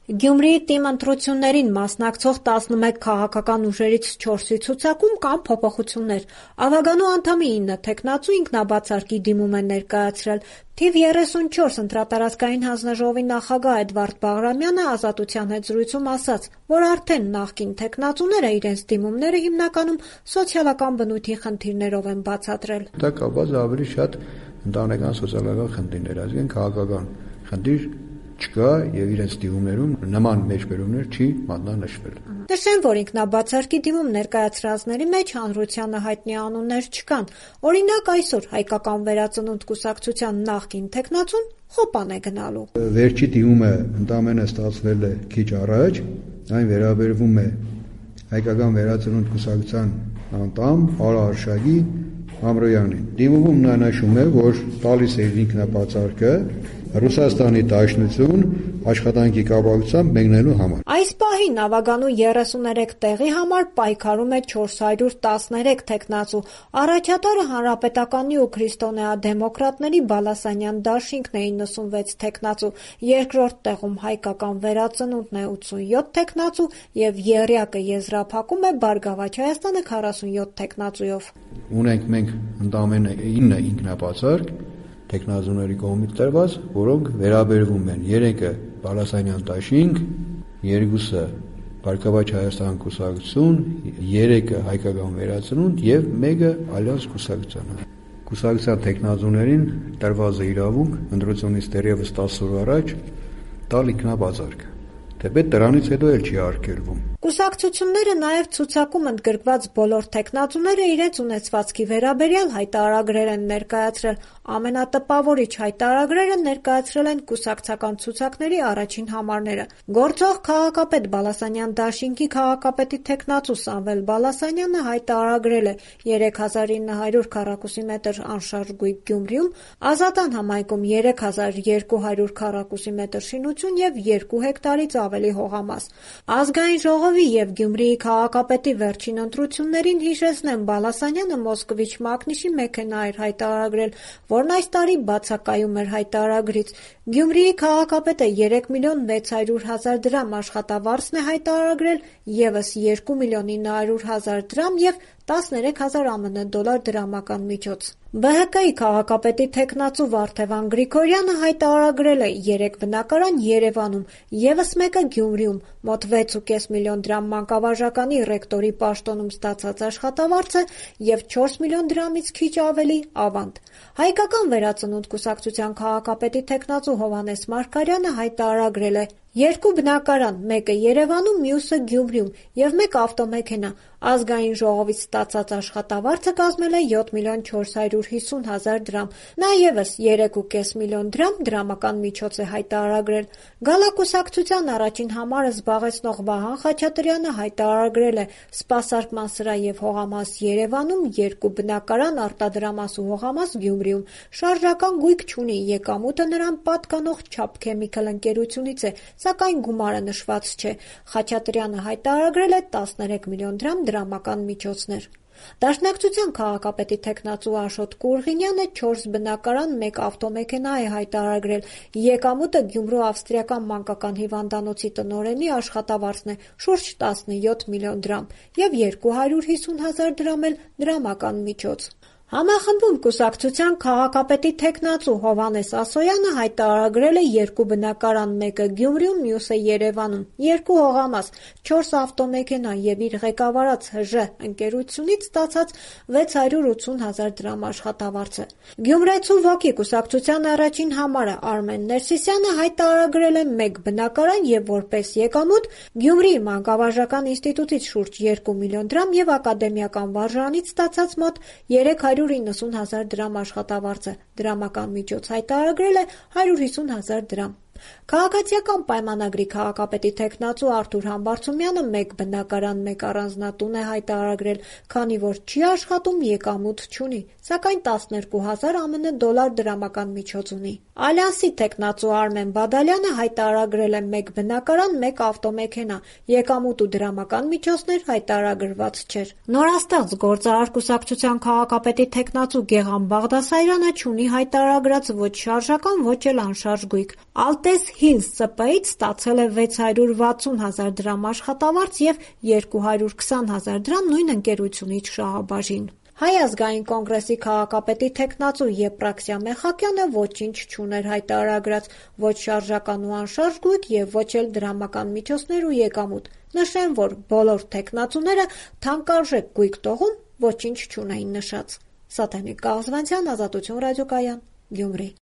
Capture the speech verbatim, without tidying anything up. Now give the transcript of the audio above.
Գյումրիի թիմ ընտրություններին մասնակցող տասնմեկ քաղաքական ուժերից չորսի ցուցակում կան փոփոխություններ։ Ավագանու անդամի ինը թեկնածու ինքնաբացարկի դիմում են ներկայացրել։ Թիվ երեսունչորս ընտրատարածքային հանձնաժողովի նախագահ Էդվարդ Բաղրամյանը «Ազատության» հետ զրույցում ասաց, որ արդեն նախկին թեկնածուները իրենց դիմումները հիմնականում սոցիալական բնույթի խնդիրներով են բացատրել։ Դա կապված ավելի շատ ընտանեկան սոցիալական խնդիրներ, այսինքն քաղաքական խնդիր չկա եւ իրենց դիմումներում նման մեջբերումներ չի մատնանշվել։ Նշեմ, որ ինքնաբացարկի դիմում ներկայացրածների մեջ հանրությանը հայտնի անուններ չկան։ Օրինակ, այսօր Հայկական վերածնունդ կուսակցության նախկին թեկնածուն խոպան է գնալու։ Վերջի դիմումը ընդամենը ստացվել է քիչ առաջ, այն վերաբերվում է Հայկական վերածնունդ կուսակցության անդամ Արա Արշակի Ամրոյանին։ Դիմումում նա նշում է, որ տալիս է ինքնաբացարկը Ռուսաստանի Դաշնություն աշխատանքի կապակցությամբ մեկնելու համար։ Այս պահին ավագանու երեսուներեք տեղի համար պայքարում է չորս հարյուր տասներեք թեկնածու։ Առաջատարը Հանրապետականի ու քրիստոնեադեմոկրատների Բալասանյան դաշինքն է իննսունվեց թեկնածու, երկրորդ տեղում Հայկական վերածնունդն է ութսունյոթ թեկնածու եւ եռյակը եզրափակում է Բարգավաճ Հայաստանը քառասունյոթ թեկնածուով։ Ունենք մենք ընդամենը ինը ինքնաբացարկ թեկնածուների կողմից տրված, որոնք վերաբերվում են երեքը Բալասանյան դաշինք, երկուսը Բարգավաճ Հայաստան կուսակցություն, երեքը Հայկական վերածնունդ եւ մեկը Ալյանս կուսակցություն։ Կուսակցության թեկնածուներին տրված է իրավունք ընտրությունից դեռևս տասը օր առաջ տալ ինքնաբացարկ։ Թեպետ դրանից հետո էլ չի արգելվում։ Կուսակցությունները նաև ցուցակում ընդգրկված բոլոր թեկնածուները իրենց ունեցվածքի վերաբերյալ հայտարարագրեր են ներկայացրել։ Ամենատպավորիչ հայտարարագրերը ներկայացրել են կուսակցական ցուցակների առաջին համարները։ Գործող քաղաքապետ Բալասանյան դաշինքի քաղաքապետի թեկնածու Սամվել Բալասանյանը հայտարարագրել է երեք հազար ինը հարյուր քառակուսի մետր անշարժ գույք Գյումրիում, Ազատան համայնքում երեք հազար երկու հարյուր քառակուսի մետր շինություն եւ երկու հեկտարից ավելի հողամաս։ Ազգային ժողովի եւ Գյումրիի քաղաքապետի վերջին ընտրություններին հիշեցնեմ Բալասանյանը Մոսկվիչ Մակնիշի մեքենա էր հայտարարագրել, որն այս տարի բացակայում էր հայտարարագրից։ Գյումրիի քաղաքապետը երեք միլիոն վեց հարյուր հազար դրամ աշխատավարձն է հայտարարագրել, եւս երկու միլիոն ինը հարյուր հազար դրամ եւ տասներեք հազար ԱՄՆ դոլար դրամական միջոց։ Բը հը կայի քաղաքապետի թեկնածու Վարդևան Գրիգորյանը հայտարարագրել է երեք բնակարան Երևանում, եւս մեկը Գյումրիում, մոտ վեց ու կես միլիոն դրամ մանկավարժականի ռեկտորի պաշտոնում ստացած աշխատավարձը եւ չորս միլիոն դրամից քիչ ավելի ավանդ։ Հայկական վերածնունդ կուսակցության քաղաքապետի թեկնածու Հովհաննես Մարգարյանը հայտարարագրել է երկու բնակարան, մեկը Երևանում, մյուսը Գյումրիում եւ մեկ ավտոմեքենա։ Ազգային ժողովից ստացած աշխատավարձը կազմել է յոթ միլիոն չորս հարյուր հիսուն հազար դրամ։ Նա եւս երեք ու կես միլիոն դրամ դրամական միջոց է հայտարարագրել։ Գալակուսակցության առաջին համարը զբաղեցնող Վահան Խաչատրյանը հայտարարագրել է սպասարկման սրահ եւ հողամաս Երևանում, երկու բնակարան, արտադրամաս ու հողամաս Գյումրիում։ Շարժական գույք չունի, եկամուտը նրան պատկանող Չափ Քեմիկալ ընկերությունից է, սակայն գումարը նշված չէ։ Խաչատրյանը հայտարարագրել է տասներեք միլիոն դրամ դրամական միջոցներ։ Դաշնակցության քաղաքապետի թեկնածու Աշոտ Կուրղինյանը չորս բնակարան, մեկ ավտոմեքենա է հայտարարագրել։ Եկամուտը Գյումրու ավստրիական մանկական հիվանդանոցի տնօրենի աշխատավարձն է շուրջ տասնյոթ միլիոն դրամ եւ երկու հարյուր հիսուն հազար դրամ էլ դրամական միջոց։ Համախմբում կուսակցության քաղաքապետի թեկնածու Հովհաննես Ասոյանը հայտարարագրել է երկու բնակարան, մեկը Գյումրիում, մյուսը Երևանում, երկու հողամաս, չորս ավտոմեքենա եւ իր ղեկավարած ՀԺ ընկերությունից ստացած վեց հարյուր ութսուն հազար դրամ աշխատավարձը։ Գյումրեցու ոգի կուսակցության առաջին համարը Արմեն Ներսիսյանը հայտարարագրել է մեկ բնակարան եւ որպես եկամուտ Գյումրիի մանկավարժական ինստիտուտից շուրջ երկու միլիոն դրամ եւ ակադեմիական վարժարանից ստացած մոտ երեք հարյուր իննսուն հազար դրամ աշխատավարձը, դրամական միջոց հայտարարագրել է հարյուր հիսուն հազար դրամ։ Քաղաքացիական պայմանագրի քաղաքապետի թեկնածու Արթուր Համբարձումյանը մեկ բնակարան, մեկ առանձնատուն է հայտարարագրել, քանի որ չի աշխատում, եկամուտ չունի, սակայն տասներկու հազար ԱՄՆ դոլար դրամական միջոց ունի։ «Ալյանսի» թեկնածու Արմեն Բադալյանը հայտարարել է մեկ բնակարան, մեկ ավտոմեքենա, եկամուտ ու դրամական միջոցներ հայտարարված չէր։ Նորաստեղծ գործարար կուսակցության քաղաքապետի թեկնածու Գեղամ Բաղդասարյանը չունի հայտարարած ոչ շարժական, ոչ էլ անշարժ գույք։ «Ալտես Հիլզ» ՍՊ-ից ստացել է վեց հարյուր վաթսուն հազար դրամ աշխատավարձ և երկու հարյուր քսան հազար դրամ նույն ընկերությունից շահաբաժին։ Հայ ազգային կոնգրեսի քաղաքապետի թեկնածու Եփրաքսիա Մեխակյանը ոչինչ չուներ հայտարարած, ոչ շարժական ու անշարժ գույք և ոչ էլ դրամական միջոցներ ու եկամուտ։ Նշեմ, որ բոլոր թեկնածուները թանկարժեք գույք տողում ոչինչ չունեին նշած։ Սաթենիկ Կաղզվանցյան, Ազատություն ռադիոկայան, Գյումրի։